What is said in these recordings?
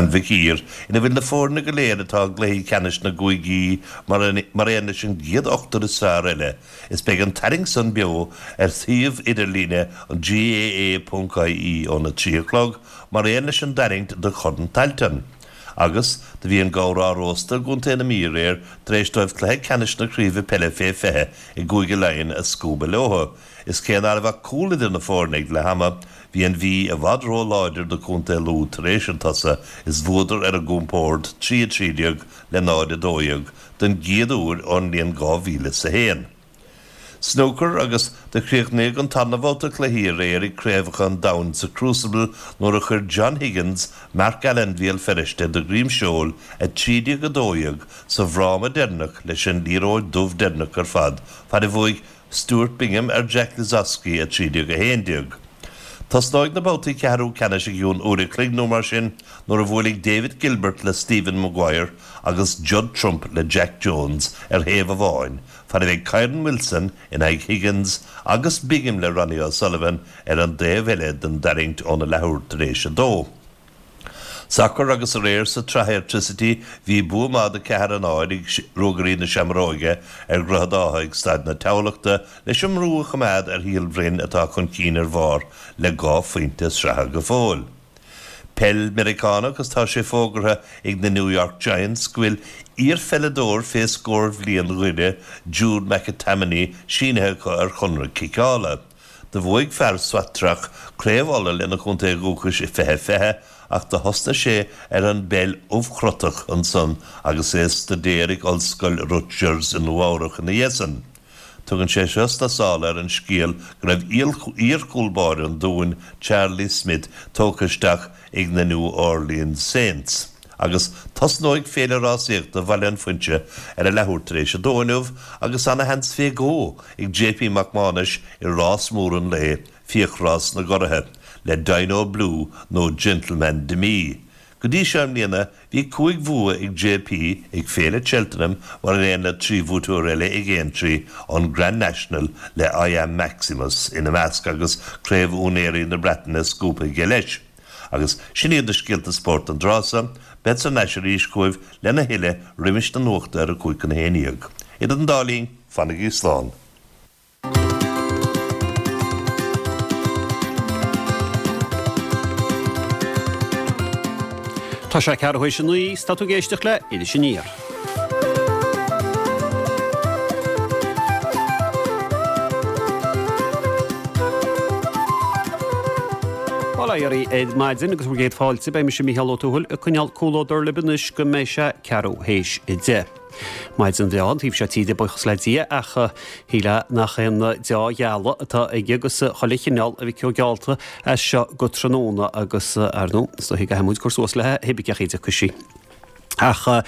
an Mhic Uidhir ina bhfuil na foirne go léir atá i gcluichí ceannais na gcúigí mar aon leis an gcéad ochtar is fearr eile is beidh an tarraingt san beo ar shuíomh idirlíne an GAA.ie óna 3 a chlog mar aon leis an dtarraingt do Chorn Tailteann. Agus do bhí an gabhar á róstadh i gContae na Mí aréir tar éis dóibh cluiche ceannais na Craoibhe Peile fé 20 i gCúige Laighean a scuabadh leo. Is cé ná raibh ach cúl idir na foirne ag leath ama, bhí an Mhí i bhfad ró-láidir do Chontae Lú tar éis an tsosa is bhuadar ar a gcompord 3 13 le 0 12 don gcéad uair ón mbliain 2001. Snúcar agus do chríochnaíodh an tarna bhabhta cluichí aréir ag Craobhacha an Domhain sa Crucible nuair a chuir John Higgins Mark Allen Bhéal Feirste de dhroim seoil 13 12 sa bhfráma deireanach leis an liathróid dubh deireanach ar fad fad a bhuaigh Stuart Bingham ar Jack Lisowski 13 11. Tosnóidh na babhtaí ceathrú ceannais i gcionn uair a chloig nó mar sin nuair a bhuailfidh David Gilbert le Stephen Maguire agus Judd Trump le Jack Jones ar thaobh amháin fad a bheidh Kyren Wilson in aghaidh Higgins agus Bingham le Ronnie O'Sullivan ar an dtaobh eile den dtarraingt óna leathuair tar éis a dó. Sacar agus aréir sa tSraith Airtricity bhí bua maith de 4 0 ag Ruagairí na Seamróige ar Dhroichead Átha ag Staid na Thamhlachta leis an mbrú a choimeád ar Shíol Bhroin atá chun cinn ar bharr le 2 phointe sraithe go fóill. Peil Meiriceánach agus tá sé fógartha ag na New York Giants go bhfuil iarpheileadóir fé scór bhliain Dhoire, Jude McAtamney, sínithe acu ar chonradh ciceála. Do bhuaigh fear Swatragh Craobh Uladh lena chontae dhúchais i 2020 ach do thosnaigh sé ar an bpeil ubhchrotach ansan agus é ag staidéar ag Ollscoil Rutgers i Nua Eabhrach ina dhiaidh san. Tugann sé seo sna sála ar an scéal go raibh iar-chúl báire an Dúin, Charlie Smyth, tógtha isteach ag na New Orleans Saints. Agus tosnóidh Féile Rásaíochta Bhaile an Phuinse ar a leathuair tar éis a dó inniu agus ana sheans fé dhó ag JP Mac Mánais i rás mór an lae, Fiachrás na gCuraithe, le Dino Blue nó Gentleman De Mee. Go dtí seo i mbliana bhí 5 bhua ag JP ag Féile Cheltenham mar aon le 3 bhuaiteoir eile ag Aintree, an Grand National le I Am Maximus ina measc agus Craobh Úinéirí na Breataine scuabtha aige leis. Agus sin iad na scéalta spóirt don dtráth so. Bead thar n-ais arís chugaibh lena thuilleadh roimis na nuachta ar a 10:55. Idir an dá linn, fanaigí slán. Tá sé ceathrú théis a naoi, 's tá tú ag éisteacht le Iris Aniar. Bail ó Dhia oraibh ar maidin agus bhur gcéad fáilte. Beidh mise Mícheál Ó Tuathail ag coinneáil comhluadar libh anois go mbeidh sé ceathrú théis a 10. Maidin bhreá an taobh seo tíre, buíochas le Dia, ach shílfeá nach aon deá-ghealadh atá aige agus chuile chineál a mhic ó geallta as seo go tráthnóna agus, ar ndóigh, is dóichí go gcaithfidh muid cur suas léi, pé cén chaoi a dtiocfaidh sí. Ach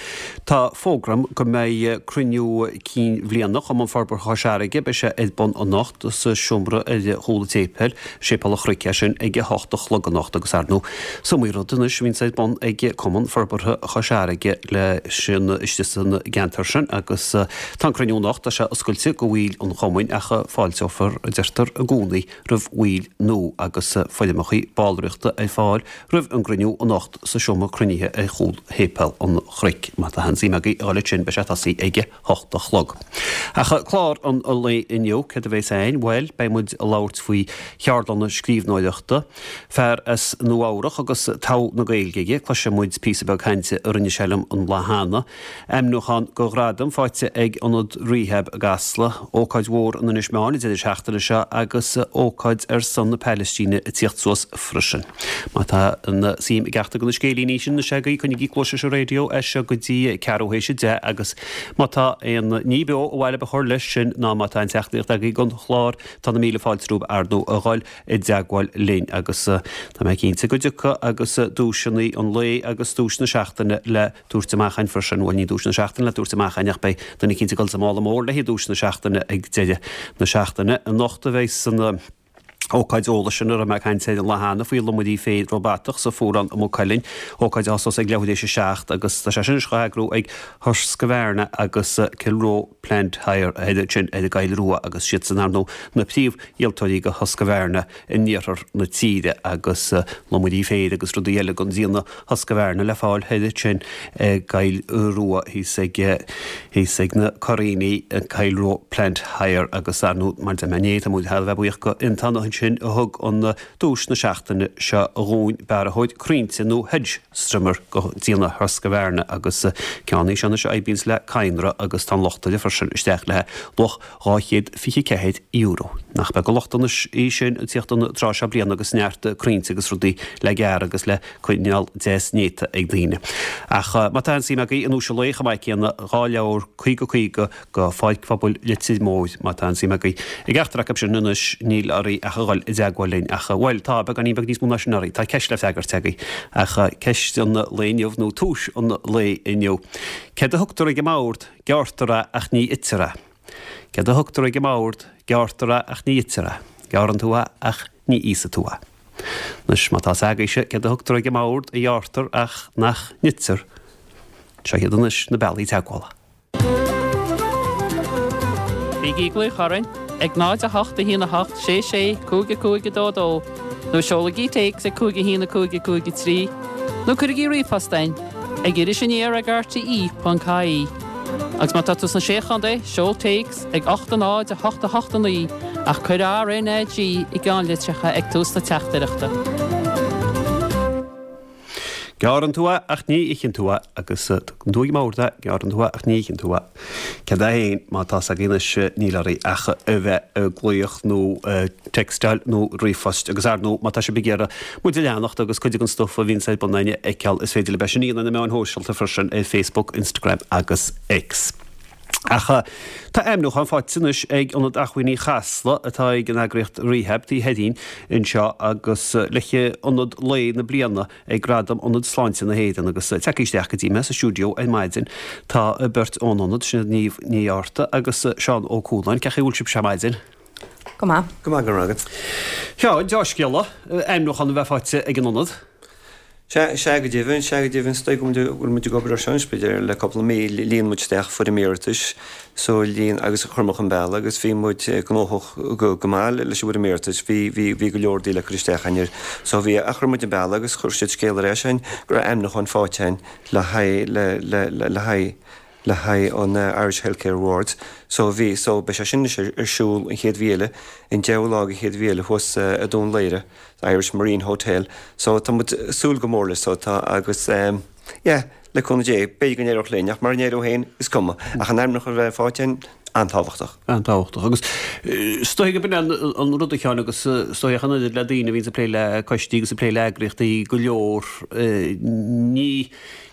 tá fógra agam go mbeidh cruinniú cinn bhliana Chumann Forbartha Chois Fharraige, beidh sé ar bun anocht sa seomra ar chúl an tséipéil, Séipéal an Chnoic é sin, ag a hocht a chlog anocht agus ar ndóigh is iomaí rud anois a bhíonns ar bun ag Cumann Forbartha Chois Fharraige le sin istigh san gceantar sin agus tá an cruinniú anocht, tá sé oscailte go bhaill an chumainn ach fáilteofar, a deirtear, i gcónaí roimh bhaill nua agus foirmeacha ballraíochta ar fáil roimh an gcruinniú anocht sa seomra cruinnithe ar chúl Shéipéal an Chnoic. Má tá aon suim agaibh a dhul ansin beidh sé ag tosaí ag a hocht a chlog. Ach clár an lae inniu, céard a bheas ann? Bhuel, beidh muid ag labhairt faoi cheardlanna scríbhneoireachta. Fear as Nua Eabhrach agus togha na Gaeilge aige, cloisfidh muid píosa beag cainte a rinne sé liom an lá cheana. Ainmniúchán go ghradam faighte ag Ionad Rehab i gCasla, ócáid mhór in Inis Meáin an deireadh seachtaine seo agus ócáid ar son na Palaistíne ag tíocht suas freisin. Má tá an suim ag ceachtar de na scéilíní sin anois agaibh, coinnigí cluais leis an raidió as seo go dtí ceathrú théis a 10 agus má tá aon ní beo ar mhaith libh a chur leis sin ná má tá aon teachtaireacht agaibh don chlár tá na míle fáilte romhaibh ar ndóigh a dhul i dteagmháil linn agus tá mé cinnte go dtiocfaidh agus duaiseanna an lae agus duais na seachtaine le tabhairt amach againn freisin. Bhuel, ní duais na seachtaine le tabhairt amach againn ach beidh duine eicínt ag dul sa mála mór le haghaidh duais na seachtaine ag deireadh na seachtaine. Anocht a bheidh san. Ócáid eolais sin a raibh mé ag caint air an lá cheana faoi lomairí féir róbatach sa Fuarán i Maigh Cuilinn, ócáid a thosós ag leathuair théis 7 agus tá sé sin anois dhá eagrú ag Husqvarna agus Kilroe Plant Hire ansin ar an gCoill Rua agus siadsan ar ndóigh na príomhdhíoltóirí do Husqvarna in iarthar na tíre agus lomairí féir agus rudaí eile den déanamh Husqvarna le fáil thoir ansin i gCoill Rua thíos ag thíos ag na Curraoiní, Kilroe Plant Hire agus ar ndóigh mar deir mé inné tá muid thar a bheith buíoch go Fhiontán ansin a thug an duais na seachtaine seo dhúinn, bearrthóir crainnte nó hedge strimmer de dhéanamh Husqvarna agus ceann é seo anois a oibríonns le cadhnra agus tá an lucht air freisin isteach le luach €224. Nach beag an lucht anois í sin ag tíocht an tráth seo bliana agus neart crainnte agus rudaí le gearradh agus le coinneáil deas néata ag daoine. Ach má tá aon suim agaibh i nduais an lae chomh maith céanna, 2 leabhar 50 50 go Pháirc Phobail Leitir Móir, má tá aon suim agaibh i gceachtar acu sin anois níl oraibh ach a dhul i dteagmháil linn. Ach, bhuel, tá beagáinín beag níos mó ná sin oraibh. Tá ceist le freagairt agaibh. Ach ceist an lae inniu, nó tomhas an lae inniu. Céard a thugtar ag an mbord? Gearrtar é ach ní itear é. Céard a thugtar ag an mbord? Gearrtar é ach ní itear é. Gearrann tú é ach ní íosfaidh tú é. Anois, má tá 's agaibhse céard a thugtar ag an mbord a ghearrtar ach nach n-itear, seo iad anois na bealaí teagmhála. Bígí ag glaoch orainn ag 0 8 1 8 6 6 5 5 2 2 nó seolaigí téacs ag 5 1 5 5 3 nó cuirigí ríomhphost chugainn ag Iris Aniar ag rte.ie. Agus má tá tú sna Sé Chontae, seol téacs ag 8 0 8 8 9 ach cuir RNAG i gceannlitreacha ag tús na teachtaireachta. Gearrann tú é ach ní itheann tú é agus tugann tú ag an mbord é, gearrann tú é ach ní itheann tú é. Céard é féin, má tá 's agaibh anois níl oraibh ach a bheith ag glaoch nó textáil nó ríomhphost agus ar ndóigh má tá sibh ag iarraidh muid a leanacht agus cuid den stuif a bhíonns ar bun againn a fheiceáil is féidir libh é sin a dhéanamh ar na meáin shóisialta freisin ar Facebook, Instagram agus X. Ach tá ainmniúchán faighte anois ag Ionad Acmhainní Chasla atá ag an eagraíocht Rehab taobh thoir dhínn anseo agus le hIonad Lae na Bliana ag Gradaim Ionad Sláinte na hÉireann agus tagtha isteach go dtí mé sa stiúideo ar maidin tá beirt ón ionad, sin iad Niamh Ní Fhátharta agus Seán Ó Cualáin. Cén chaoi a bhfuil sibhse ar maidin? Go maith. Go maith, go raibh maith agat. Sea, deá-scéala, ainmniúchán a bheith faighte ag an ionad. Sea, sea go deimhin, sea go deimhin, is dóigh go bhfuil muid ag obair ar seo anois b'fhéidir le cúpla mí, líon muid isteach foirm iarratais so líon agus chuir muid chun bealaigh agus bhí muid gnóthach go go maith leis an bhfoirm iarratais, bhí bhí bhí go leor rudaí le cur isteach againn air so bhí ach chuir muid chun bealaigh agus chuir siad scéal ar ais againn go raibh ainmniúchán faighte againn le haghaidh le le le le haghaidh le haghaidh an Irish Healthcare Awards so bhí so beidh sé sin anois ar siúl an chéad mhí eile, an deichiú lá den chéad mhí eile thuas i Dún Laoghaire, Irish Marine Hotel so tá muid ag súil go mór leis so tá agus yeah le cúnamh Dé b'fhéidir go n-éireodh linn ach mura n-éireodh féin is cuma ach an ainmniúchán a bheith faighte againn an-tábhachtach. An-tábhachtach agus is dóigh go b'in an rud a Sheáin agus is dóigh ach an oiread le daoine a bhíonns ag plé le coistí agus ag plé le eagraíochtaí go leor ní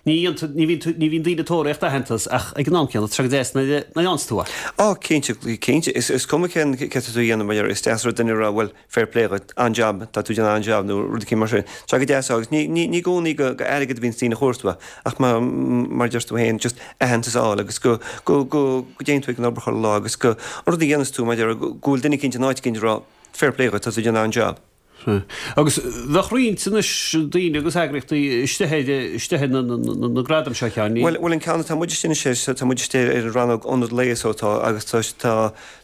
Ní bhíonn ní bhíonn daoine ag tóraíocht aitheantas ach ag an am céanna tá sé go deas nuair a fhaigheanns tú é. Á, cinnte, cinnte. Is cuma cén céard atá tú a dhéanamh, mar is deas rud duine a rá bhuel, fair play dhuit, an-jab, tá tú ag déanamh an-jab nó rud eicínt mar sin. Tá sé go deas agus ní ní i gcónaí go go airgead a bhíonns daoine a chuartú ach mar mar a deir tú féin, just aitheantas a fháil agus go go go go dtéann tú ag an obair chuile lá agus go an rud a dhéanas tú mar go bhfuil duine eicínt in áit eicínt ag rá fair play dhuit, tá tú ag déanamh an-jab. Sea. Agus bheadh roinnt anois daoine agus eagraíochtaí istigh ar, istigh ar na gradaim seo, a Sheáin, ní? Bhuel, bhuel an ceann atá muid istigh anois air, tá muid istigh ar an rannóg Ionad Lae so tá agus tá, tá,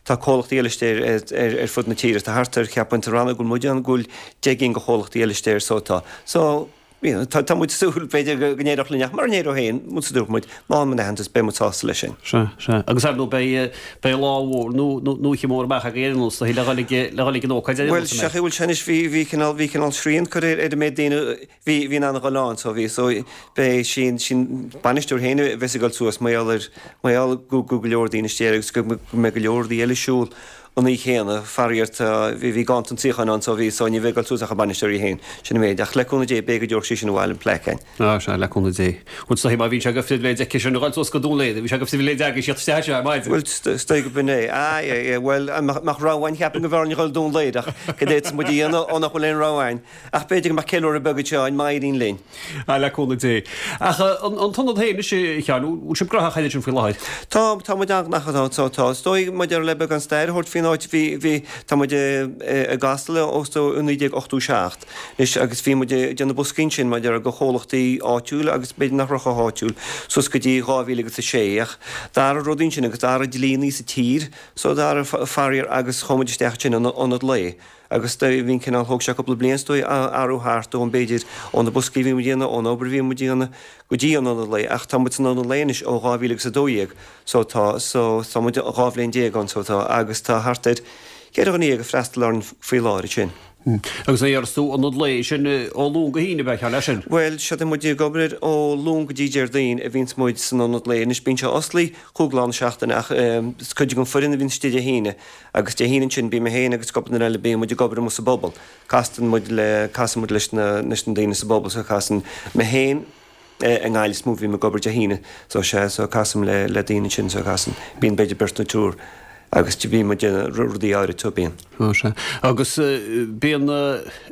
tá comhlachtaí eile istigh ar, ar, ar fud na tíre. Tá thart ar, cheapfainn, sa rannóg go bhfuil muid ann go bhfuil 10 gcinn de chomhlachtaí eile istigh air so tá. So, you know, tá, tá muid ag súil, b'fhéidir, go, go n-éireodh linn ach mura n-éireodh féin, muid sa dúirt muid, má fhaigheann muid aitheantas, beidh muid sásta leis sin. Sea, sea. Agus ar ndóigh beidh, beidh lá mhór nó, nó, nó oíche mhór amach agaibh ar aon nós, le dhul ag, le dhul ag an ócáid ar aon Bhuel, nós, an sea, mbeidh? bhuel, sea anois, bhí, bhí cineál, bhí cineál srian curtha ar, ar an méid daoine a bhí, bhí in ann a dhul ann, so bhí, so beidh, sin, sin bainisteoir féin a bheas ag dul suas, mar gheall ar, mar gheall go, go, go leor daoine istigh air agus go, go mbeidh go leor rudaí eile ar siúl. an oíche chéanna, faraor tá, bhí, bhí ganntan suíocháin ann so bhí, so ní bheidh ag dul suas ach an bainisteoir í féin, sin an méid. Ach le cúnamh Dé, b'fhéidir go dtabharfadh sí sin abhaile an plaic againn. Á, sea, le cúnamh Dé. Bhuel, is dóigh má bhíonn sé de phribhléid aici sin a dhul suas go Dún Laoghaire, bhí sé de phribhléid agaibh tíocht isteach anseo ar maidin. Bhuel, is dóigh go b'in é. Á, yeah, yeah, bhuel, mbeadh rogha againn, cheapfainn go mb'fhearr linn a dhul Dún Laoghaire ach cad é atá muid a dhéanamh ó nach bhfuil aon rogha againn. Ach b'fhéidir go mbeadh ceiliúradh beag anseo againn má éiríonn linn. Á, le cúnamh Dé. Ach an t-ionad féin anois, a Sheáin, bhfuil sibh gnóthach thairis sin faoi láthair? Tá, tá muid an-ghnóthach, tá, tá. Is dóigh, maidir le beagán stair a thabhairt faoin áit. áit, bhí, bhí, tá muid i gCasla ó 1987 anois agus bhí muid ag déanamh boscaí ansin mar a déarfá do chomhlachtaí áitiúla agus b'fhéidir nach raibh chomh háitiúil suas go dtí 2006 ach d'athraigh rudaí ansin agus d'athraigh dlíonnaí sa tír so d'athraigh faraor agus chuaigh muid isteach ansin in ionad lae agus do bhí an cineál, thóg sé cúpla bliain is dóigh athrú thart ón b'fhéidir ó na boscaí a bhí muid a dhéanamh, ón obair a bhí muid a dhéanamh go dtí an ionad lae ach tá muid san ionad lae anois ó 2012 so tá, so tá muid 12 bhliain ann so tá agus tá thart ar cheithre dhuine ag freastal orainn faoi láthair ansin. Agus a déarfas tú ionad lae sin ó Luan go hAoine, ab ea, ceann leis sin? Bhuel, sea tá muid ag obair ó Luan go dtí Déardaoin a bhíonns muid san ionad lae. Anois bíonn sé osclaí chúig lá na seachtaine ach is cuid den foireann a bhíonns istigh Dé hAoine agus Dé hAoine ansin bíonn mé féin agus cúpla duine eile bíonn muid ag obair amuigh sa bpobal. Castann muid le, casann muid leis na, leis na daoine sa bpobal so casann mé féin, i nGaillimh is mó a bhím ag obair Dé hAoine so sea so casaim le le daoine ansin so casann bíonn b'fhéidir beirt nó triúr agus bíonn muid ag déanamh rudaí áirid so bíonn. Ó sea. Agus bíonn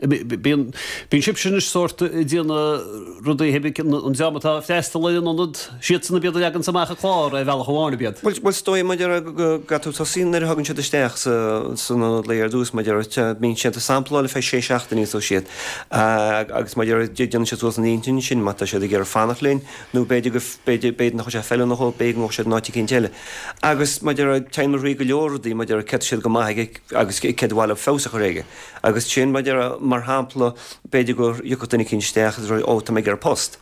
bíonn bíonn sibhse anois sórt ag déanamh rudaí an dream atá ag freastal ar an ionad siadsan ab iad a leaganns amach an clár ar bhealach amháin ab iad. Bhuel bhuel is dóigh mar a déarfá go gcaithfidh tú tosaí nuair a thagann siad isteach sa san ionad lae ar dtús mar a déarfá bíonn siad ag sampláil ar feadh sé seachtainí so siad Agus mar a déarfá, déanann siad suas a n-intinn ansin má tá siad ag iarraidh fanacht linn nó b'fhéidir go, b'fhéidir, b'fhéidir nach bhfuil sé feiliúnach dhóibh, b'fhéidir go ngabhfaidh siad in áit eicínt eile. Agus mar a déarfá, téann muid thrí go leor rudaí, mar a déarfá, céard tá siad go maith aige agus céard ba mhaith leo feabhas a chur aige. Agus sin, mar a déarfá, mar shampla, b'fhéidir go dtiocfadh duine eicínt isteach agus a rá, ó, tá mé ag iarraidh post.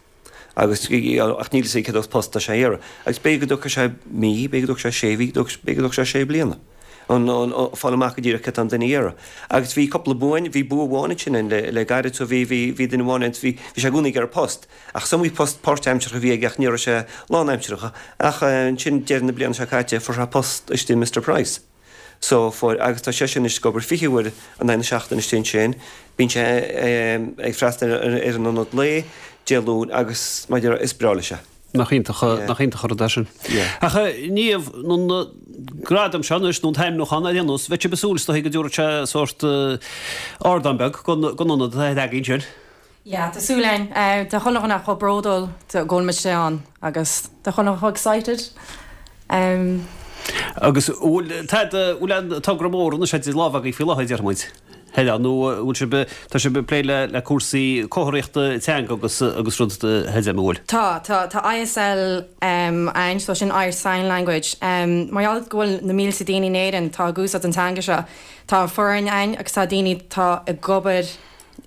Agus, ach níl fhios aige cén sórt post atá sé a iarraidh. Agus b'fhéidir go dtógfaidh sé mí, b'fhéidir go dtógfaidh sé sé mhí, b'fhéidir go dtógfaidh sé sé bliana an fáil amach go díreach céard tá an duine a iarraidh. Agus bhí cúpla bua ann, bhí bua amháin ansin ann le le gairid so bhí, bhí, bhí duine amháin ann, bhí, bhí sé i gcónaí ag iarraidh post. Ach is iomaí post páirtaimseartha a bhí aige ach ní raibh sé lánaimseartha. Ach ansin deireadh na bliana seo caite fuair sé post istigh i Mister Price. So fuair, agus tá seisean anois ag obair 20 uair in aghaidh na seachtaine istigh ansin. Bíonn sé ag freastal ar an ionad lae Dé Luain agus mar a déarfá is breá leis é. Nach iontach, nach iontach an rud é sin. Ach a Niamh, an gradam seo anois, nó an t-ainmniúchán ar aon nós, bheadh sibh ag súil is dóichí go dtabharfadh sé sórt ardán beag don ionad atá agaibh ansin. Yeah, tá súil againn. Tá chuile dhuine chomh bródúil go bhfuil muid ann agus tá chuile dhuine chomh excited. Agus bhfuil tada, bhfuil aon togra mór anois idir lámha agaibh faoi láthair, déarfaidh muid, Helen, nó bhfuil sibh, tá sibh ag plé le le cúrsaí comharthaíochta teanga agus agus rud Helen, an bhfuil? Tá, tá, tá ISL ann, so sin Irish Sign Language. Mar gheall go bhfuil na mílte daoine in Éirinn atá ag úsáid an teanga seo, tá foireann ann agus tá daoine atá ag obair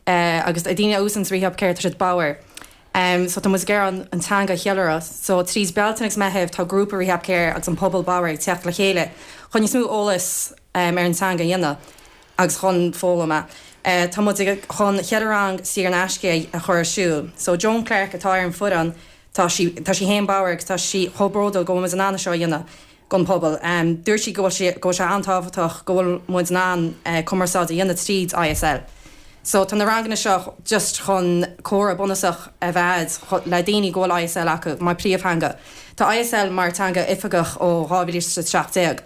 agus daoine a úsáideann Rehab Care tá siad bodhar. So tá muid ag iarraidh an teanga a cheiliúradh. So tríd Bealtaine agus Meitheamh tá grúpa Rehab Care agus an pobal bodhar ag teacht le chéile chun níos mó eolas ar an teanga a dhéanamh agus chun foghlaim é. Tá muid ag chun cheithre rang saor in aisce a chur ar siúl. So Joan Clarke atá ar an foireann tá sí tá sí féin bodhar agus tá sí chomh bródúil go bhfuil muid in ann é seo a dhéanamh. don phobal. Dúirt sí go bhfuil sé go bhfuil sé an-tábhachtach go bhfuil muid in ann cumarsáid a dhéanamh tríd ISL. So tá na ranganna seo just chun comhrá bunúsach a bheith a'd le daoine go bhfuil ISL acu mar príomhtheanga. Tá ISL mar teanga oifigeach ó 2017.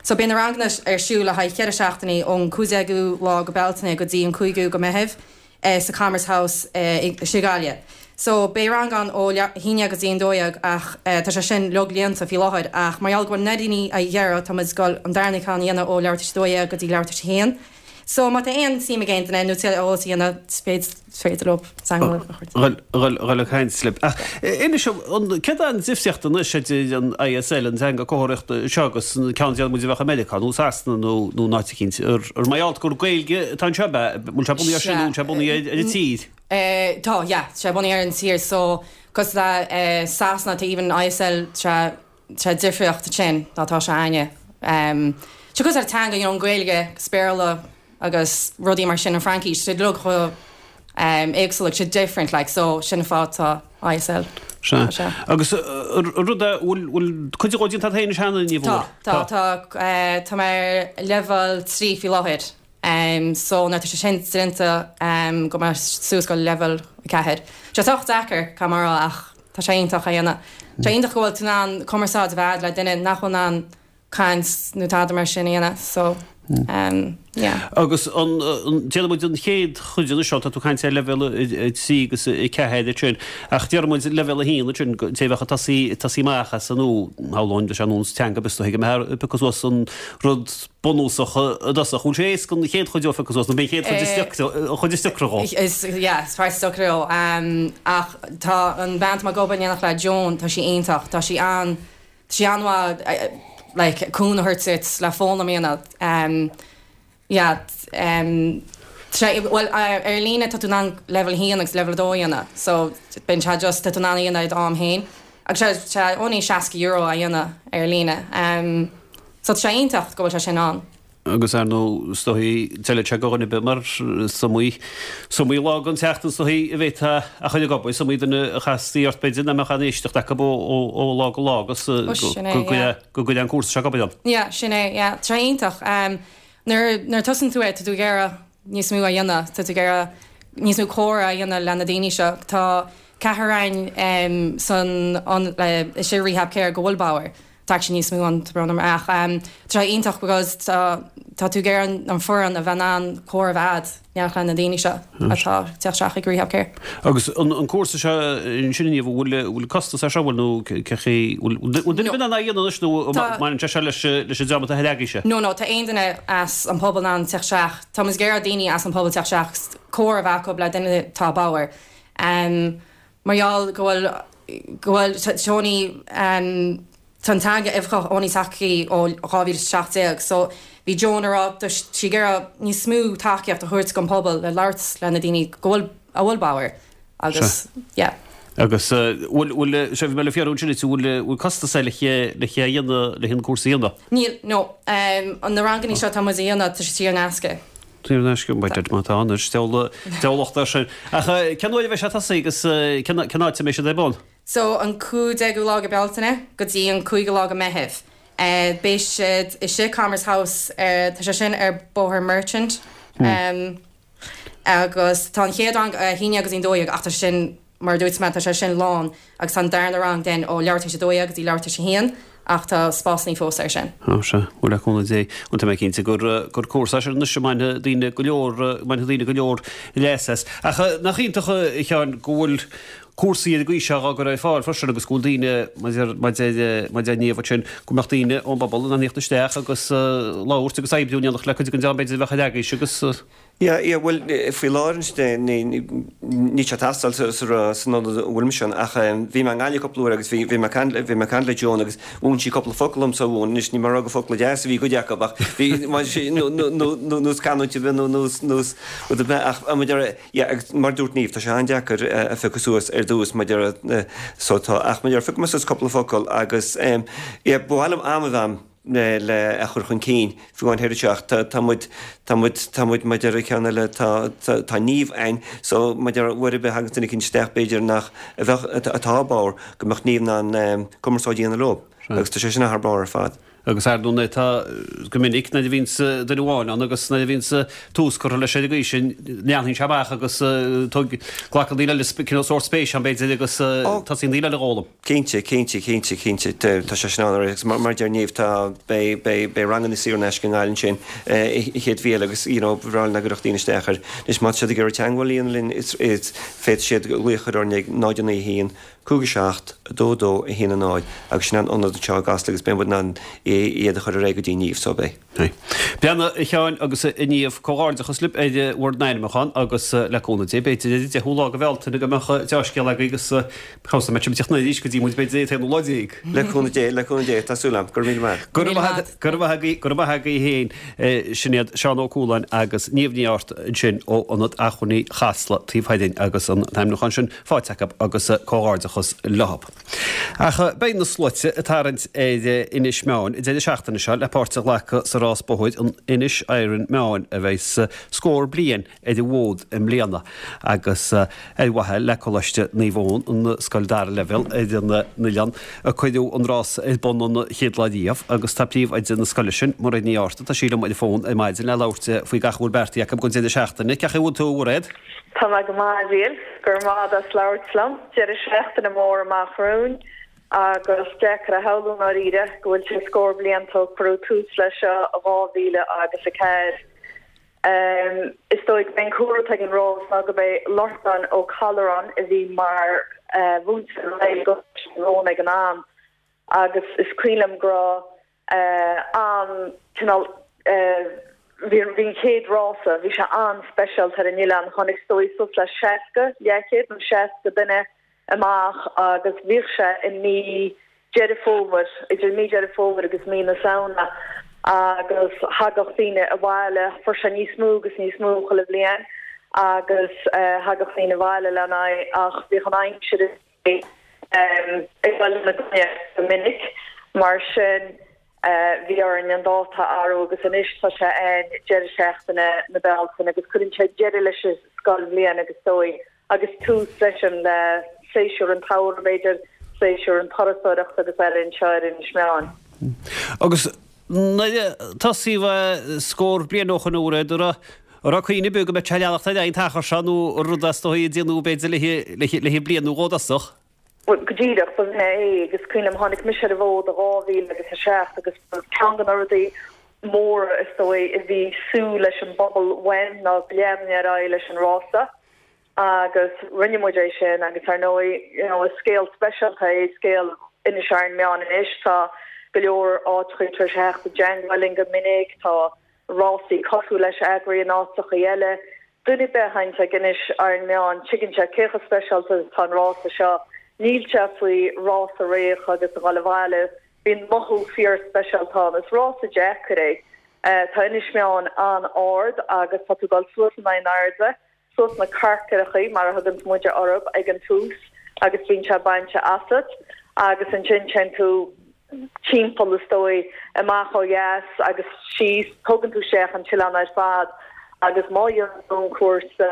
So beidh na ranganna ar siúl le haghaidh cheithre seachtainí ón 15ú lá go Bealtaine go dtí an 5ú go Meitheamh. sa Commerce House i Gaillimh. So beidh rang ann ó leath i ndiaidh a haon go dtí an 12 ach tá sé sin uilig líonta faoi láthair ach mar gheall go bhfuil na daoine á iarraidh tá muid ag dul an darna ceann a dhéanamh ó leathuair tar éis 12 go dtí leathuair tar éis a haon. So má tá aon suim ag aon duine nó tuilleadh eolas a dhéanamh is féidir leo teagmháil a chur. Dhul ag caint libh. Ach inis dom, céard é an difríocht anois idir an ISL, an teanga comharthaíochta seo agus an ceann a déarfaidh muid a bheadh i Meiriceá nó Sasana nó nó in áit eicínt? Ar mar gheall gur Gaeilge atá anseo ab ea? Bhfuil sé bunaithe ar sin nó bhfuil sé bunaithe ar an tír? Tá, yeah, tá sé bunaithe ar an tír so cosúil le Sasana tá even ISL tá sé difríocht ansin ná tá sé a'inne. Tá cosúil le teanga, you know, an Ghaeilge agus Béarla agus rudaí mar sin, an Fraincis, tá siad uilig chomh éagsúil, like, siad different, like, so sin an fáth tá ISL. Sea. Sea. Agus an rud é, bhfuil, bhfuil cuid dhó déanta agat féin anois cheana, ní bhfuil? Tá, tá, tá, tá mé ar leibhéal 3 faoi láthair, so nuair atá sé sin déanta, gabhfaidh mé suas go leibhéal 4. Tá sé sách deacair, caithfidh mé a rá, ach tá sé iontach a dhéanamh. Tá sé iontach go bhfuil tú in ann cumarsáid a bheith a'd le duine nach bhfuil in ann. caint nó tada mar sin a dhéanamh so um yeah. Agus an, déarfaidh muid an chéad chuid anois seo, tá tú ag caint ar leibhéal 3 agus 4 ansin, ach déarfaidh muid leibhéal 1 ansin, té a bheadh ag tosaí, ag tosaí amach as an nó shamhlóinn leis an nós teanga b'fhéidir go mbeifeá ag piocadh suas an rud bunúsach i dtosach. Bhfuil sé éasca an chéad chuid dó a phiocadh suas nó b'é an chéad chuid is deacra, an chuid is deacra dhó? Is, yeah, is páirt is deacra dhó. Ach tá an bhean atá mé ag obair in éineacht le, Joan, tá sí iontach, tá sí an, Tá sí an-mhaith like cúnamh a thabhairt duit le foghlaim a dhéanamh. Yeah tá sé bhuel ar líne tá tú in ann level 1 agus level 2 a dhéanamh so bíonn sé just tá tú in ann a dhéanamh i d'am féin agus tá sé only €60 a dhéanamh ar líne. So tá sé iontach go bhfuil sé sin ann. Agus ar ndóigh, is dóigh, d'fheilfeadh sé do dhuine ar bith mar is iomaí, is iomaí lá den tseachtain is dóigh a bhféadfá a chur ag obair, is iomaí duine a chasfaí ort b'fhéidir nach mbeadh aon éisteacht acu ó lá go lá agus Ó sin é, yeah. go gcuirfeadh an cúrsa seo ag obair ann. Yeah, sin é, yeah. Tá sé iontach. Nuair, nuair a tosaíonn tú é, tá tú ag iarraidh níos mó a dhéanamh, tá tú ag iarraidh níos mó comhrá a dhéanamh le na daoine seo. Tá ceathrar againn san, istigh i Rehab Care go bhfuil bodhar. Tá actually níos mó ann tá brón orm ach tá sé iontach because tá tá tú ag iarraidh an foireann a bheith in ann comhrá a bheith a'd in éineacht le na daoine seo atá ag teacht isteach ag Rehab Care. Agus an an cúrsa seo ansin a Niamh an bhfuil an bhfuil costas air seo bhfuil nó cé chaoi bhfuil bhfuil duine ar bith in ann é a dhéanamh anois nó Tá mbaineann sé seo leis leis an dream atá ar eagaoise? No no tá aon duine as an pobal in ann teacht isteach tá muid ag iarraidh daoine as an pobal teacht isteach agus comhrá a bheith acu le duine atá bodhar. Mar gheall go bhfuil, go bhfuil, tá only, tá an teanga oifigeach only tagtha ó 2017 so bhí Joan ag rá tá sí ag iarraidh níos mó tacaíocht a thabhairt don pobal le labhairt le na daoine go bhfuil, a bhfuil bodhar agus yeah. Agus bhfuil, bhfuil, sé bhí mé le fiafraí ansin duit, bhfuil, bhfuil costas air le le é a dhéanamh, le an cúrsa a dhéanamh? Níl, no. Na rangannaí seo atá muid a dhéanamh tá sé saor in aisce. Saor in aisce, b'fhéidir, má tá anois, diabhlacht air sin. Ach cén uair a bheidh sé ag tosaí agus cén áit a mbeidh siad ar bun? So, an 15ú lá de Bealtaine go dtí an 5ú lá de Meitheamh. Beidh siad istigh Commerce House, tá sé sin ar Bóthar Merchant. Agus tá an chéad rang a 11 go dtí an 12 ach tá sé sin, Mar a dúirt mé, tá sé sin lán agus tá an darna rang then ó leathuair tar éis a 12 go dtí leathuair tar éis a haon ach tá spásannaí fós air sin. Ó sea, bhuel le cúnamh Dé, bhuel tá mé cinnte gur gur cúrsa é sin anois a mbainfidh daoine go leor, mbainfidh daoine go leor leas as. Ach nach iontach a Sheáin go bhfuil cúrsaí ar an gcaoi seo á gcur ar fáil freisin agus go bhfuil daoine, mar a deir mar a deir Niamh ansin, go mbeadh daoine ón bpobal in ann theacht isteach agus labhairt agus oibriú in éineacht le cuid den dream b'fhéidir a bheadh ar eagaois agus. Yeah, yeah, bhuel, faoi láthair anois, níl sé ag teastáil san ionad a bhfuil mise ann, ach bhí mé i nGaillimh cúpla uair agus bhí mé ag caint, bhí mé ag caint le Joan agus mhúin sí cúpla focal dom sa mhúin, anois ní mar gur focla deasa a bhí cuid acu ach bhí, mar sí, nó, nó, nó, nó, nós canúint ar bith nó nós, nós rud ar bith ach mar a deir, yeah, agus mar a dúirt Niamh, tá sé an-deacair a phiocadh suas ar dtús mar a deir, so tá, ach mar a deir, phioc mé suas cúpla focal agus yeah, ba mhaith liom am a bheith a'm. le a chur chun cinn, fiú amháin thoir anseo ach tá, tá muid, tá muid, tá muid mar a deir an ceann eile, tá, tá, tá Niamh a'inn so mar a deir uair ar bith a thagann duine eicínt isteach b'fhéidir nach, a bheadh, atá bodhar, go mbeadh Niamh in ann cumarsáid a dhéanamh leo agus tá sé sin thar barr ar fad. Agus ar ndóigh tá, go minic nuair a bhíonns duine amháin ann agus nuair a bhíonns tús curtha leis ar an gcaoi sin, leanann sé amach agus tóg, glacann daoine eile cineál sórt spéis ann b'fhéidir agus tosaíonn daoine eile a dh'fhoghlaim. Cinnte, cinnte, cinnte, cinnte. Tá sé sin ann agus mar a deir Niamh, tá, beidh, beidh, beidh ranganna saor in aisce i nGaillimh ansin an chéad mhí eile agus you know ba bhreá linn dá gcuirfeadh daoine isteach air. Anois má tá siad ag iarraidh teagmháil a dhéanamh linn is, is, féadfaidh siad glaoch a chur orainn ag 0 9 1 5 7 2 2 1 0 agus sin an ionad anseo i gCasla agus beidh muid in ann iad a chur ar aghaidh go dtí Niamh so beidh. Breathnaigh, a Sheáin agus a Niamh, comhghairdeachas libh ar bhur n-ainmniúchán agus le cúnamh Dé, b'fhéidir ar an deichiú lá de Bhealtaine go mbeadh deá-scéal agaibh agus cá bhfios an mbeidh sibh ag teacht arís go dtí muid b'fhéidir an t-aonú lá déag. Le cúnamh Dé, le cúnamh Dé, tá súil agam. Go raibh míle maith. Go raibh maith agat, go raibh maith agaibh, go raibh maith agaibh féin. Sin iad Seán Ó Cualáin agus Niamh Ní Airt ansin ó Ionad Acmhainní Chasla taobh thoir dhinn agus an t-ainmniúchán sin faighte acu agus comhghairdeachas leo. Ach beidh na sluaite ag tarraingt ar Inis Meáin an deireadh seachtaine seo le páirt a ghlacadh sa rás bóthair an Inish Iron Meáin a bheidh scór bliain ar an bhfód i mbliana agus ar mhaithe le Coláiste Naomh Eoin, an scoil dara leibhéal ar an oileán a cuireadh an rás ar bun an chéad lá riamh agus tá príomhoide na scoile sin, Mairéad Ní Fhátharta, tá sí liom ar an bhfón ar maidin le labhairt faoi gach a bhfuil beartaithe acu don deireadh seachtaine. Cén chaoi a bhfuil tú, a Mhairéad? Tá mé go maith, a Mhíchíl. Go raibh maith agat as labhairt liom. Deireadh seachtaine mór amach romhainn. Agus deacair a shamhlú i ndáiríre go bhfuil sé scór blianta ó cuireadh tús leis seo i 2004. Is dóigh gurb é an cúlra atá ag an rás ná gurb é Lorcán Ó Callúráin a bhí mar mhúinteoir i gColáiste Naomh Eoin ag an am agus is cuimhin liom go raibh an cineál bhí an chéad rása, bhí sé an-speisialta ar an oileán, tháinig is dóigh suas le 60, leathchéad nó 60 duine amach agus bhíodh sé i mí Deireadh Fómhair, idir mí Deireadh Fómhair agus mí na Samhna agus thagadh daoine abhaile, fuair sé níos mó agus níos mó chuile bhliain agus thagadh daoine abhaile lena aghaidh ach bhíodh an aimsir ag dul ina gcoinne go minic mar sin bhí orainn an dáta a athrú agus anois tá sé ann deireadh seachtaine na Bealtaine agus cuireann sé deireadh leis an scoilbhliain agus is dóigh agus tús freisin le séasúr an tsamhraidh, b'fhéidir, séasúr an turasóireachta agus eile anseo ar Inis Meáin. Agus nuair a tosaíodh é scór bliain ó shoin, an raibh, an raibh cuimhne ar bith go mbeadh sé ag leanacht ar aghaidh an t-achar seo nó rud is dóigh a déanadh b'fhéidir le bliain nó dhó i dtosach? Bhuel, go díreach, ba shin é agus is cuimhin liom, tháinig mise ar an bhfód i 2007 agus ba ceann de na rudaí móra is dóigh a bhí súil leis an bpobal uaim ná go leanfainn ar aghaidh leis an rása. Agus rinne muid é sin agus ar ndóigh, you know, is scéal speisialta é scéal Inis Iron Meáin anois. Tá go leor áiteachaí tar éis a theacht i dteangmháil linn go minic, tá rásaí cosúil leis eagraithe in áiteachaí eile. Duine ar bith a théanns ag Inis Iron Meáin, tuigeann sé cé chomh speisialta is atá an rása seo. Níl sé faoi rás a rith agus a dhul abhaile, bíonn mothú fíor speisialta ann. Is rása deacair é. Tá Inis Meáin an-ard agus tá tú ag dul suas in airde. suas na carcaireachaí, mar a thuganns muide orthub, ag an tús agus bíonn sé bainte asat agus ansin téann tú timpeall is dóigh, amach ó dheas agus síos, tógann tú isteach an t-oileán ar fad agus má dhéanann tú an cúrsa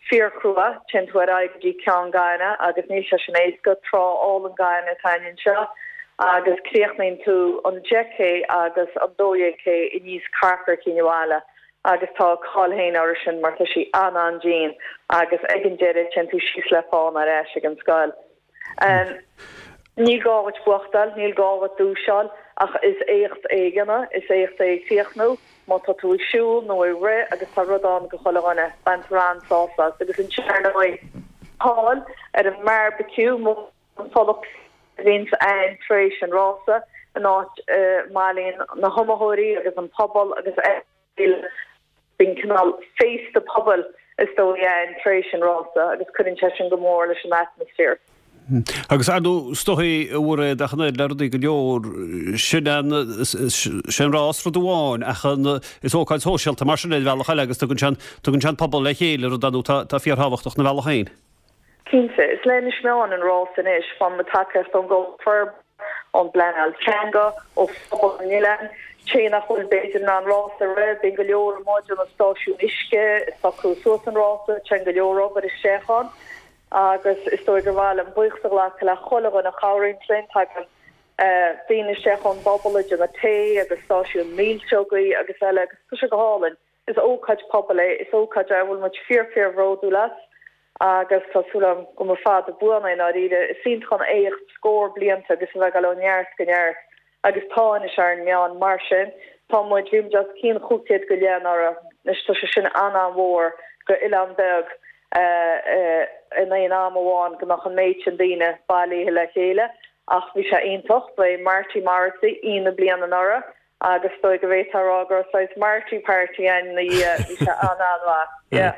fíorchrua, téann tú ar aghaidh go dtí Ceann Gainimh agus níl sé sin éasca, trá álainn gainimh atá againn anseo agus críochnaíonn tú an 10 K agus an 12 K aníos Carcair Chinn Bhaile. agus tá a cáil féin orthu sin mar tá sí an-an-dian agus ag an deireadh téann tú síos le fána ar ais ag an scoil. Níl gá dhuit buachtáil, níl gá dhuit duais a fháil ach is éacht é a dhéanamh, is éacht é a chríochnú má tá tú ag siúl nó ag rith agus tá rud ann go chuile dhuine, baintear an-sásamh as agus ansin ar ndóigh cáil ar an mbearbaiciú mór an folach a bhíonns ann tar éis an rása, an áit a mbailíonn na hiomaitheoirí agus an pobal agus eile. Bíonn cineál féasta pobail is dóigh ann tar éis an rása agus cuireann sé sin go mór leis an atmaisféar. Agus ar ndóigh, is dóigh, a Mhairéad, ach an oiread le rudaí go leor, sin an, sé an rás rud amháin ach an, is ócáid shóisialta mar sin ar bhealach eile agus tugann sé an, tugann sé an pobal le chéile, rud ar ndóigh atá, atá fíorthábhachtach ina bhealach féin. Cinnte, is le Inis Meáin an rás anois. Faigheann muid tacaíocht ón gComhlacht Forbartha, ón bpleanáil teanga, ó phobal an oileáin. Té nach bhfuil b'fhéidir in ann rás a rith, bíonn go leor amuigh ag déanamh stáisiún uisce, ag socrú suas an rása, téann go leor obair isteach ann agus is dóigh gur mhaith liom buíochas a ghlacadh le chuile dhuine a chabhraíonn linn. Tagann daoine isteach ón bpobal ag déanamh tae agus stáisiún milseogaí agus eile agus tá sé go hálainn. Is ócáid pobail é, is ócáid é a bhfuil muid fíor fíor bhródúil as agus tá súil agam go mba fada buan é i ndáiríre. Is iontach an éacht scór blianta agus a bheith ag dul ó neart go neart agus tá Inis Iron Meáin mar sin. Tá muid, bhí muid os cionn 500 go leith anuraidh, anois tá sé sin an-an-mhór go oileán beag in aon am amháin go mbeadh an méid sin daoine bailithe le chéile ach bhí sé iontach. Ba é Marty Morrissey aoi na bliana anuraidh Agus is dóigh go bhféadfá a rá go raibh saghas Marty Party ann ina dhiaidh, bhí sé an-an-mhaith. Yeah.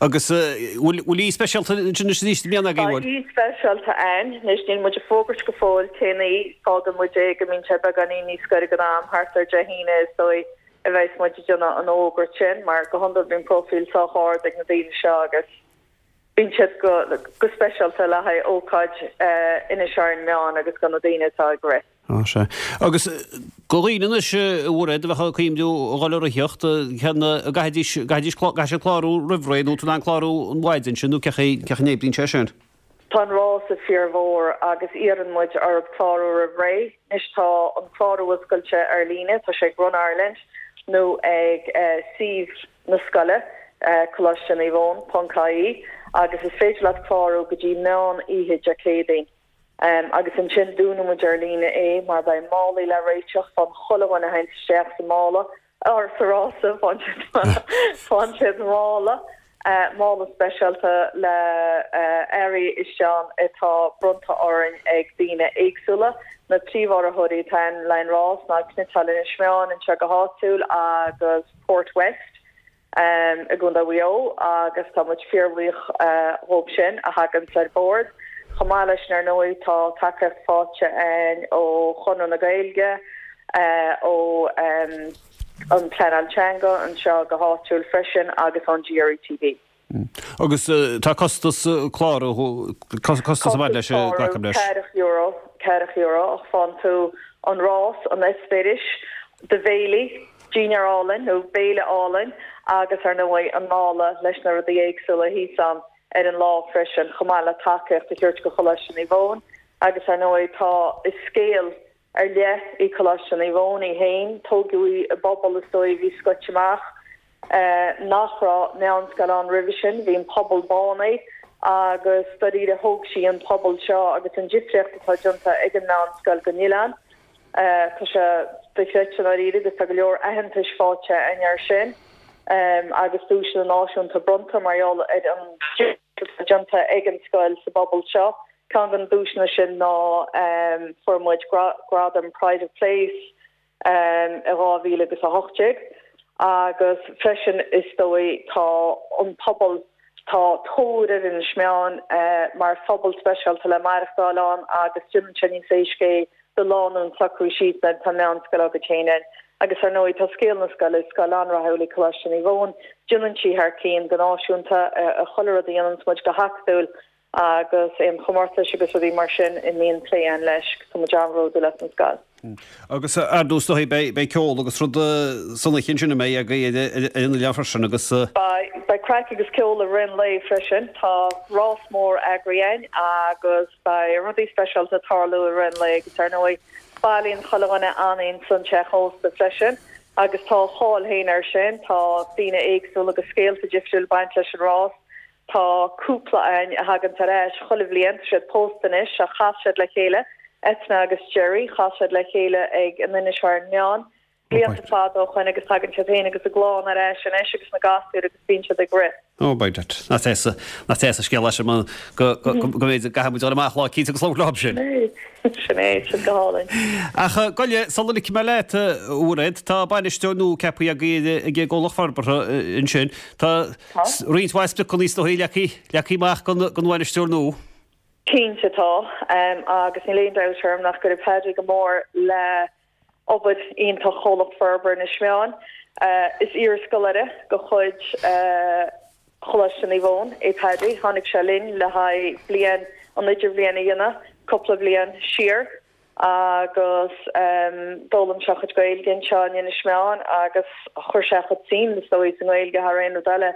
Agus bhfuil aoi speisialta ansin anois arís i mbliana agaibh, Tá bhfuil? aoi speisialta ann. Anois níl muid ag fógairt go fóill cén aoi, fágann muid é go mbíonn sé beagáinín níos gaire don am, thart ar Dé hAoine is dóigh a bheas muid ag déanamh an fhógairt sin, mar go hiondúil bíonn próifíl sách ard ag na daoine seo agus bíonn siad go go speisialta le haghaidh ócáid Inis Iron Meáin agus do na daoine atá ag rith. Á, sea. Agus do dhaoine anois, a Mhairéad, a bheadh ag cuimhniú a dhul ag ritheacht, cén, an gcaithfidís, gcaithfidís, caithfidh siad clárú roimh ré nó tú in ann clárú an mhaidin sin nó cén chaoi, cén chaoi a n-oibríonn sé sin? Tá an rása fíormhór agus iarrann muid orthu clárú roimh ré. Anois tá an clárú oscailte ar líne, tá sé ag Run Ireland nó ag suíomh na scoile, Coláiste Naomh Eoin ponc ie, agus is féidir leat clárú go dtí meán oíche Dé Céadaoin. Agus ansin dúnfaidh muid ar líne é mar beidh málaí le réiteach, faigheann chuile dhuine a théanns isteach sa mála, or sa rása, faigheann siad mála, mála speisialta le earraí istigh ann atá bronnta orainn ag daoine éagsúla. Na príomhurraitheoirí atá ann le an rás ná Cniotáil Inis Meáin anseo go háitiúil agus Port West. i gContae Mhaigh Eo agus tá muid fíorbhuíoch dhóibh sin a thaganns ar bord. Chomh maith leis sin ar ndóigh tá tacaíocht faighte againn ó Chonradh na Gaeilge, ó an Pleanáil Teanga anseo go háitiúil freisin agus ón GRETB. Agus tá costas clárú, costas ag baint leis, glacaim leis. €40, €40 ach faigheann tú an rás, an eispéiris, do bhéilí, Dinnéar álainn, nó béile álainn, agus ar ndóigh an mála leis na rudaí éagsúla thíos ann ar an lá freisin, chomh maith le tacaíocht a thabhairt go Choláiste Naomh Eoin. Agus ar ndóigh tá, is scéal ar leith í Coláiste Naomh Eoin í féin, tógadh í i bpobal is dóigh a bhí scoite amach, nach raibh meánscoil ann roimhe sin, bhí an pobal bánaithe agus dáiríre thóg sí an pobal seo agus an difríocht atá déanta ag an meánscoil don oileán. Tá sé dochreidte i ndáiríre agus tá go leor aitheantais faighte againn air sin agus duaiseanna náisiúnta bronnta mar gheall ar an difríocht atá déanta ag an scoil sa bpobal seo. Ceann de na duaiseanna sin ná fuair muid gradam Pride of Place i 2018 agus freisin is dóigh tá an pobal, tá tóir ar Inis Meáin mar phobal speisialta le maireachtáil ann agus déanann sé níos éasca é do lánúin socrú síos nuair atá meánscoil agat féin ann. Agus ar ndóigh tá scéal na scoile, is scoil an-rathúil í Coláiste Naomh Eoin, déanann sí thar cionn go náisiúnta i chuile rud a dhéananns muid go hacadúil agus aon chomórtais agus rudaí mar sin a mbíonn plé ann leis, tá muid an-bhródúil as an scoil. Agus ar ndóigh is dóigh beidh ceol agus rud san oíche ansin a mbeidh agaibh ar an oileán freisin agus. Beidh, beidh craic agus ceol i rith an lae freisin. Tá rás mór eagraithe againn agus beidh rudaí speisialta ag tarlú i rith an lae agus ar ndóigh bailíonn chuile dhuine anainn san teach ósta freisin agus tá a cháil féin air sin. Tá daoine éagsúla agus scéalta difriúil ag baint leis an rás. Tá cúpla againn a thaganns ar ais chuile bhliain, tá siad pósta anois ach chas siad le chéile, Eithne agus Gerry, chas siad le chéile ag an Inis Iron Meáin blianta fada ó shoin agus tagann siad féin agus a gclann ar ais anois agus na gasúir agus bíonn siad ag rith. Oh by dad. Nach deas, nach deas an scéal é sin mar go, go, go mb'fhéidir go gcaithfidh muid dul amach lá eicínt agus labhairt leo sin. Sin é, sin go hálainn. Ach gabh i leith, sula ligfidh mé leat, a Mhairéad, tá bainisteoir nua ceaptha agaibh ag an gComhlacht Forbartha ansin. Tá roinnt mhaith spriocanna is dóigh leagtha amach don bhainisteoir nua. Cinnte tá, agus níl aon dabht orm nach gcuirfidh Paddy go mór le obair iontach Chomhlacht Forbartha Inis Meáin. Is iarscoláire de chuid Choláiste Naomh Eoin é Paddy. Tháinig sé linn le haghaidh bliain, an idirbhliain a dhéanamh cúpla bliain siar agus d'fhoghlaim sé a chuid Gaeilge anseo in Inis Meáin agus chuir sé a chuid suim, is dóigh, sa nGaeilge thar aon rud eile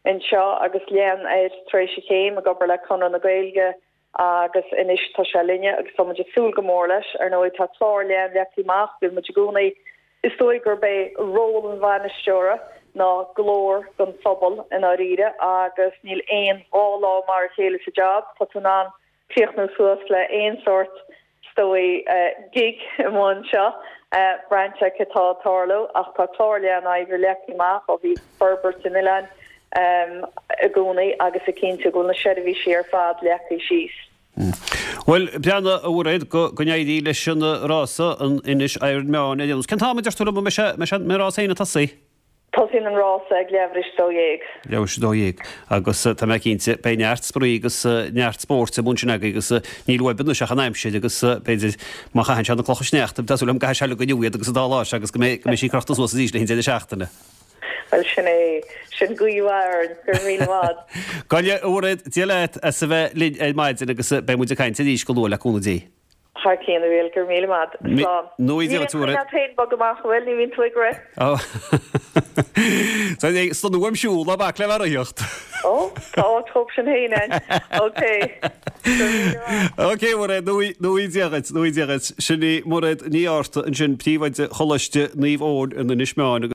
anseo agus lean air tar éis a chéim ag obair le Conradh na Gaeilge agus anois tá sé linne agus tá muid ag súil go mór leis. Ar ndóigh tá clár leathan leagtha amach, bíonn muid i gcónaí, is dóigh gurb é ról an bhainisteora ná glór don phobal i ndáiríre agus níl aon dá lá mar a chéile sa jab, tá tú in ann críochnú suas le aon sórt, is dóigh, gig amuigh anseo, braint ar cad tá ag tarlú ach tá clár leathan oibre leagtha amach ó thaobh forbairt an oileáin i gcónaí agus ag cinntiú go bhfuil na seirbhísí ar fad leagtha síos. Bhuel, breathnaigh, a Mhairéad, go n-éirí leis an rása, an Inis Iron Meáin ar aon nós. Cén t-am a deir tú liom an mbeidh sé, an mbeidh an rás féin ag tosaí? Tosaíonn an rása ag leathuair tar éis 12. Leathuair tar éis 12 agus tá mé cinnte beidh neart spraoi agus neart spóirt amuigh ansin agaibh agus níl uaibh anois ach an aimsir agus b'fhéidir má chaitheann sé na clocha sneachta tá súil agam go gcaithfidh sé uilig inniu iad agus an dá lá seo agus go mbeidh go mbeidh sí crochta suas arís le haghaidh an deireadh seachtaine. Bhuel sin é, sin guí mhaith orainn, go raibh míle maith. Gabh i leith, a Mhairéad, Dia leat as a bheith linn ar maidin agus beidh muid ag caint arís go luath le cúnamh Dé. Thar cionn, a Mhíchíl, go raibh míle maith. Slán. Níl aon choinne leat féin bogadh amach, an bhfuil? Ní bhíonn tú ag rith? Ó. Tá staonadh uaim siúl, ná bac le bheith ag ritheacht. Ó, tá áit dhób sin féin ann. Ok. Go raibh míle maith. Ok, Mairéad, nuaí Dia dhuit, nuaí Dia dhuit. Sin í Mairéad Ní Fhátharta ansin, príomhoide Choláiste Naomh Eoin in Inis Meáin.